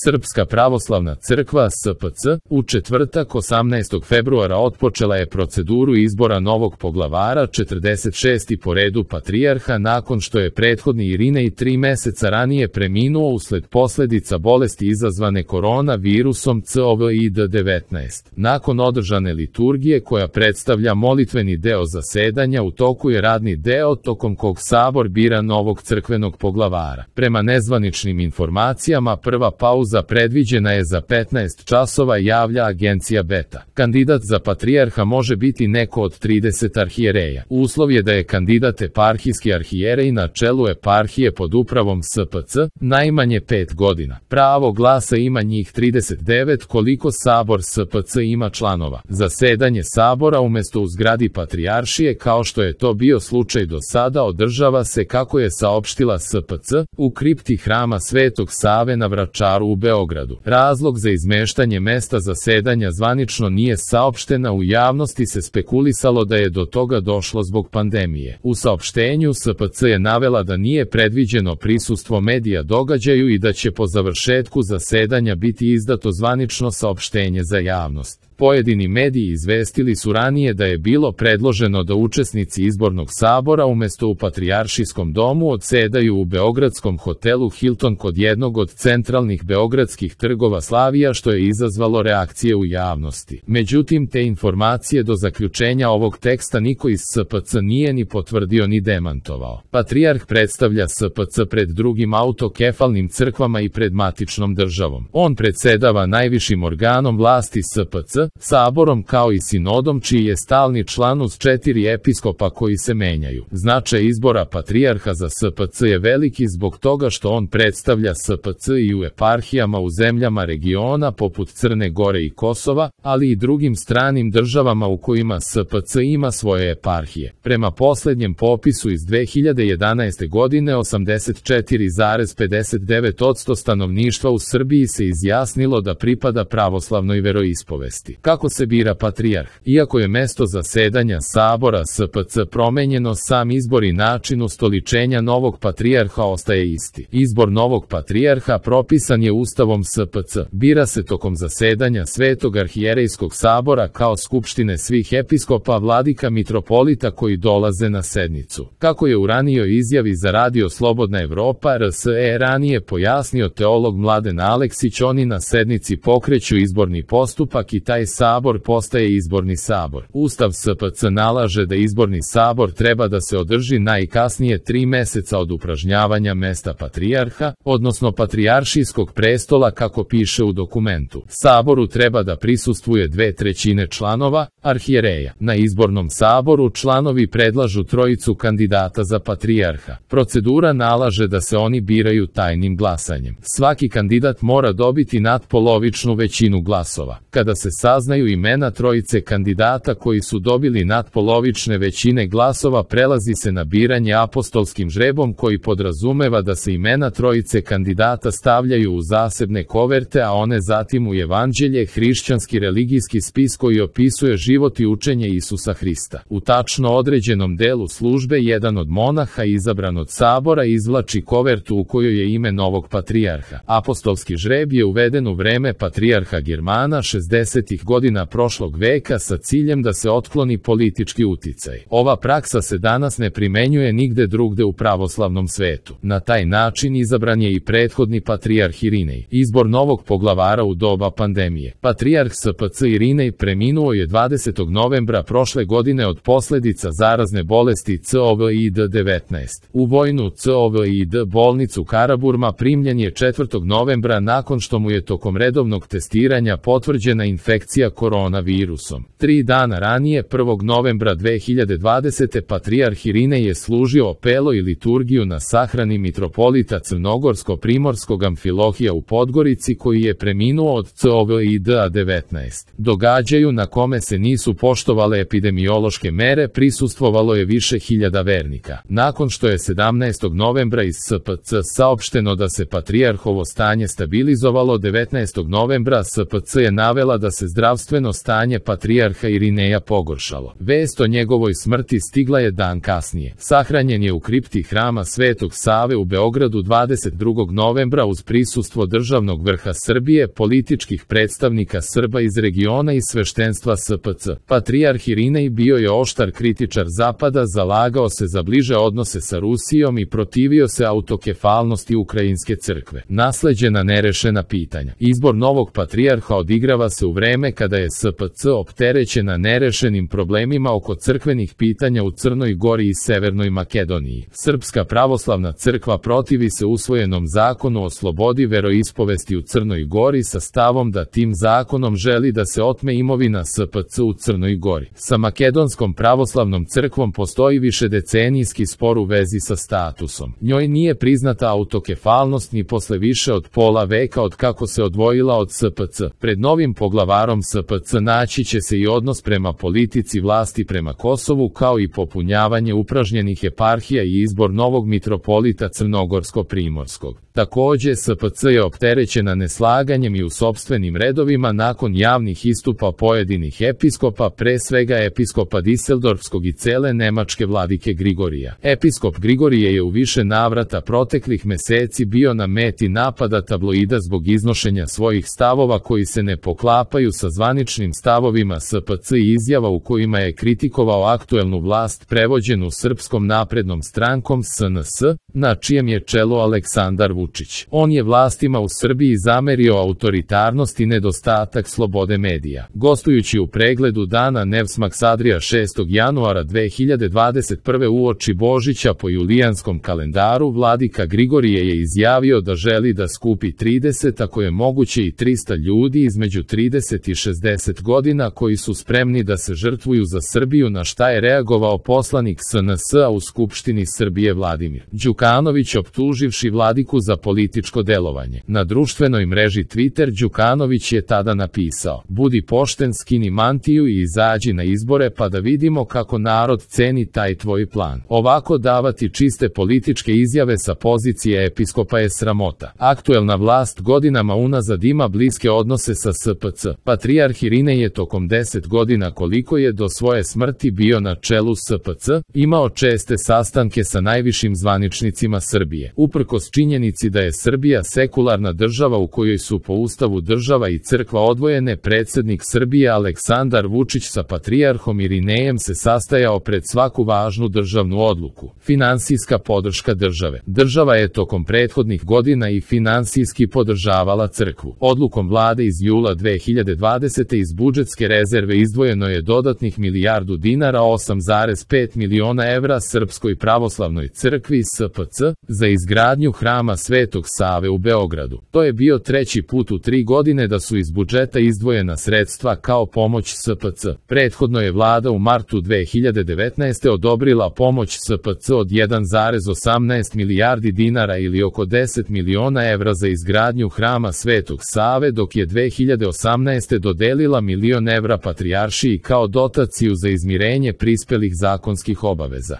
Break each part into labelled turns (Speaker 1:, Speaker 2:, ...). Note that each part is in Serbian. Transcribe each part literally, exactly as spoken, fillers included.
Speaker 1: Srpska pravoslavna crkva S P C u četvrtak osamnaestog februara otpočela je proceduru izbora novog poglavara, četrdeset šestog po redu patrijarha, nakon što je prethodni Irinej tri meseca ranije preminuo usled posledica bolesti izazvane koronavirusom C O V I D devetnaest. Nakon održane liturgije koja predstavlja molitveni deo zasedanja, u toku je radni deo tokom kog sabor bira novog crkvenog poglavara. Prema nezvaničnim informacijama, prva pauza predviđena je za petnaest časova, javlja agencija Beta. Kandidat za patrijarha može biti neko od trideset arhijereja. Uslov je da je kandidat eparhijski arhijerej na čelu eparhije pod upravom S P C najmanje pet godina. Pravo glasa ima njih trideset devet koliko sabor S P C ima članova. Zasedanje sabora umesto u zgradi patrijaršije, kao što je to bio slučaj do sada, održava se, kako je saopštila S P C, u kripti hrama Svetog Save na Vračaru u Beogradu. Razlog za izmeštanje mesta zasedanja zvanično nije saopštena, u javnosti se spekulisalo da je do toga došlo zbog pandemije. U saopštenju S P C je navela da nije predviđeno prisustvo medija događaju i da će po završetku zasedanja biti izdato zvanično saopštenje za javnost. Pojedini mediji izvestili su ranije da je bilo predloženo da učesnici izbornog sabora umesto u Patrijaršijskom domu odsedaju u beogradskom hotelu Hilton kod jednog od centralnih beogradskih trgova Slavija, što je izazvalo reakcije u javnosti. Međutim, te informacije do zaključenja ovog teksta niko iz S P C nije ni potvrdio ni demantovao. Patrijarh predstavlja S P C pred drugim autokefalnim crkvama i pred matičnom državom. On predsedava najvišim organom vlasti S P C, saborom, kao i sinodom, čiji je stalni član uz četiri episkopa koji se menjaju. Značaj izbora patrijarha za S P C je veliki zbog toga što on predstavlja S P C i u eparhijama u zemljama regiona poput Crne Gore i Kosova, ali i drugim stranim državama u kojima S P C ima svoje eparhije. Prema poslednjem popisu iz dve hiljade jedanaeste godine, osamdeset četiri zarez pedeset devet posto stanovništva u Srbiji se izjasnilo da pripada pravoslavnoj veroispovesti. Kako se bira patrijarh? Iako je mesto zasedanja sabora S P C promenjeno, sam izbor i način ustoličenja novog patrijarha ostaje isti. Izbor novog patrijarha propisan je Ustavom S P C. Bira se tokom zasedanja Svetog arhijerejskog sabora kao skupštine svih episkopa, vladika, mitropolita koji dolaze na sednicu. Kako je u ranijoj izjavi za radio Slobodna Evropa R S E ranije pojasnio teolog Mladen Aleksić, oni na sednici pokreću izborni postupak i taj sabor postaje izborni sabor. Ustav S P C nalaže da izborni sabor treba da se održi najkasnije tri meseca od upražnjavanja mesta patrijarha, odnosno patrijaršijskog prestola, kako piše u dokumentu. Saboru treba da prisustvuje dve trećine članova, arhijereja. Na izbornom saboru članovi predlažu trojicu kandidata za patrijarha. Procedura nalaže da se oni biraju tajnim glasanjem. Svaki kandidat mora dobiti natpolovičnu većinu glasova. Kada se saznaju imena trojice kandidata koji su dobili natpolovične većine glasova, prelazi se na biranje apostolskim žrebom, koji podrazumeva da se imena trojice kandidata stavljaju u zasebne koverte, a one zatim u Evanđelje, hrišćanski religijski spis koji opisuje život i učenje Isusa Hrista. U tačno određenom delu službe jedan od monaha izabran od sabora izvlači kovertu u kojoj je ime novog patrijarha. Apostolski žreb je uveden u vreme patrijarha Germana šezdesetih godina prošlog veka sa ciljem da se otkloni politički uticaj. Ova praksa se danas ne primenjuje nigde drugde u pravoslavnom svetu. Na taj način izabran je i prethodni patrijarh Irinej. Izbor novog poglavara u doba pandemije. Patrijarh S P C Irinej preminuo je dvadesetog novembra prošle godine od posledica zarazne bolesti C O V I D devetnaest. U vojnu C O V I D bolnicu Karaburma primljen je četvrtog novembra nakon što mu je tokom redovnog testiranja potvrđena infekcija koronavirusom. Tri dana ranije, prvog novembra dve hiljade dvadesete. patrijarh Irinej je služio opelo i liturgiju na sahrani mitropolita Crnogorsko-primorskog Amfilohija u Podgorici, koji je preminuo od C O V I D devetnaest. Događaju na kome se nisu poštovale epidemiološke mere prisustvovalo je više hiljada vernika. Nakon što je sedamnaestog novembra iz S P C saopšteno da se patrijarhovo stanje stabilizovalo, devetnaestog novembra S P C je navela da se zdravstveno zdravstveno stanje patrijarha Irineja pogoršalo. Vest o njegovoj smrti stigla je dan kasnije. Sahranjen je u kripti Hrama Svetog Save u Beogradu dvadeset drugog novembra uz prisustvo državnog vrha Srbije, političkih predstavnika Srba iz regiona i sveštenstva S P C. Patrijarh Irinej bio je oštar kritičar Zapada, zalagao se za bliže odnose sa Rusijom i protivio se autokefalnosti Ukrajinske crkve. Nasleđena nerešena pitanja. Izbor novog patrijarha odigrava se u vreme kada je S P C opterećena nerešenim problemima oko crkvenih pitanja u Crnoj Gori i Severnoj Makedoniji. Srpska pravoslavna crkva protivi se usvojenom zakonu o slobodi veroispovesti u Crnoj Gori sa stavom da tim zakonom želi da se otme imovina S P C u Crnoj Gori. Sa Makedonskom pravoslavnom crkvom postoji višedecenijski spor u vezi sa statusom. Njoj nije priznata autokefalnost ni posle više od pola veka od kako se odvojila od S P C. Pred novim poglavarom S P C naći će se i odnos prema politici vlasti prema Kosovu, kao i popunjavanje upražnjenih eparhija i izbor novog mitropolita Crnogorsko-Primorskog. Takođe, S P C je opterećena neslaganjem i u sopstvenim redovima nakon javnih istupa pojedinih episkopa, pre svega episkopa Diseldorfskog i cele nemačke vladike Grigorija. Episkop Grigorije je u više navrata proteklih meseci bio na meti napada tabloida zbog iznošenja svojih stavova koji se ne poklapaju sa zvaničnim stavovima S P C i izjava u kojima je kritikovao aktuelnu vlast prevođenu Srpskom naprednom strankom S N S, na čijem je čelu Aleksandar Vučić. On je vlastima u Srbiji zamerio autoritarnost i nedostatak slobode medija. Gostujući u pregledu dana Nevsmaksadrija šestog januara dve hiljade dvadeset prve uoči Božića po julijanskom kalendaru, vladika Grigorije je izjavio da želi da skupi trideset, ako je moguće i trista ljudi između trideset i šezdeset godina koji su spremni da se žrtvuju za Srbiju, na šta je reagovao poslanik S N S-a u Skupštini Srbije Vladimir Đukanović, optuživši vladiku za političko delovanje. Na društvenoj mreži Twitter Đukanović je tada napisao: "Budi pošten, skini mantiju i izađi na izbore pa da vidimo kako narod ceni taj tvoj plan. Ovako davati čiste političke izjave sa pozicije episkopa je sramota." Aktuelna vlast godinama unazad ima bliske odnose sa S P C. Patrijarh Irinej je tokom deset godina, koliko je do svoje smrti bio na čelu S P C, imao česte sastanke sa najvišim zvaničnicima Srbije. Uprkos činjenici da je Srbija sekularna država u kojoj su po ustavu država i crkva odvojene, predsednik Srbije Aleksandar Vučić sa patrijarhom Irinejem se sastajao pred svaku važnu državnu odluku. Finansijska podrška države. Država je tokom prethodnih godina i finansijski podržavala crkvu. Odlukom vlade iz jula dve hiljade dvadesete iz budžetske rezerve izdvojeno je dodatnih milijardu dinara, osam zarez pet miliona evra Srpskoj pravoslavnoj crkvi S P C za izgradnju Hrama Svetog Save u Beogradu. To je bio treći put u tri godine da su iz budžeta izdvojena sredstva kao pomoć S P C. Prethodno je vlada u martu dve hiljade devetnaeste odobrila pomoć S P C od jedan zarez osamnaest milijardi dinara ili oko deset miliona evra za izgradnju Hrama Svetog Save, dok je dve hiljade osamnaeste dodelila milion evra patrijaršiji kao dotaciju za izmirenje prispelih zakonskih obaveza.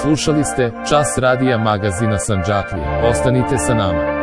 Speaker 1: Slušali ste Čas radija magazina Sandžaklija. Ostanite sa nama.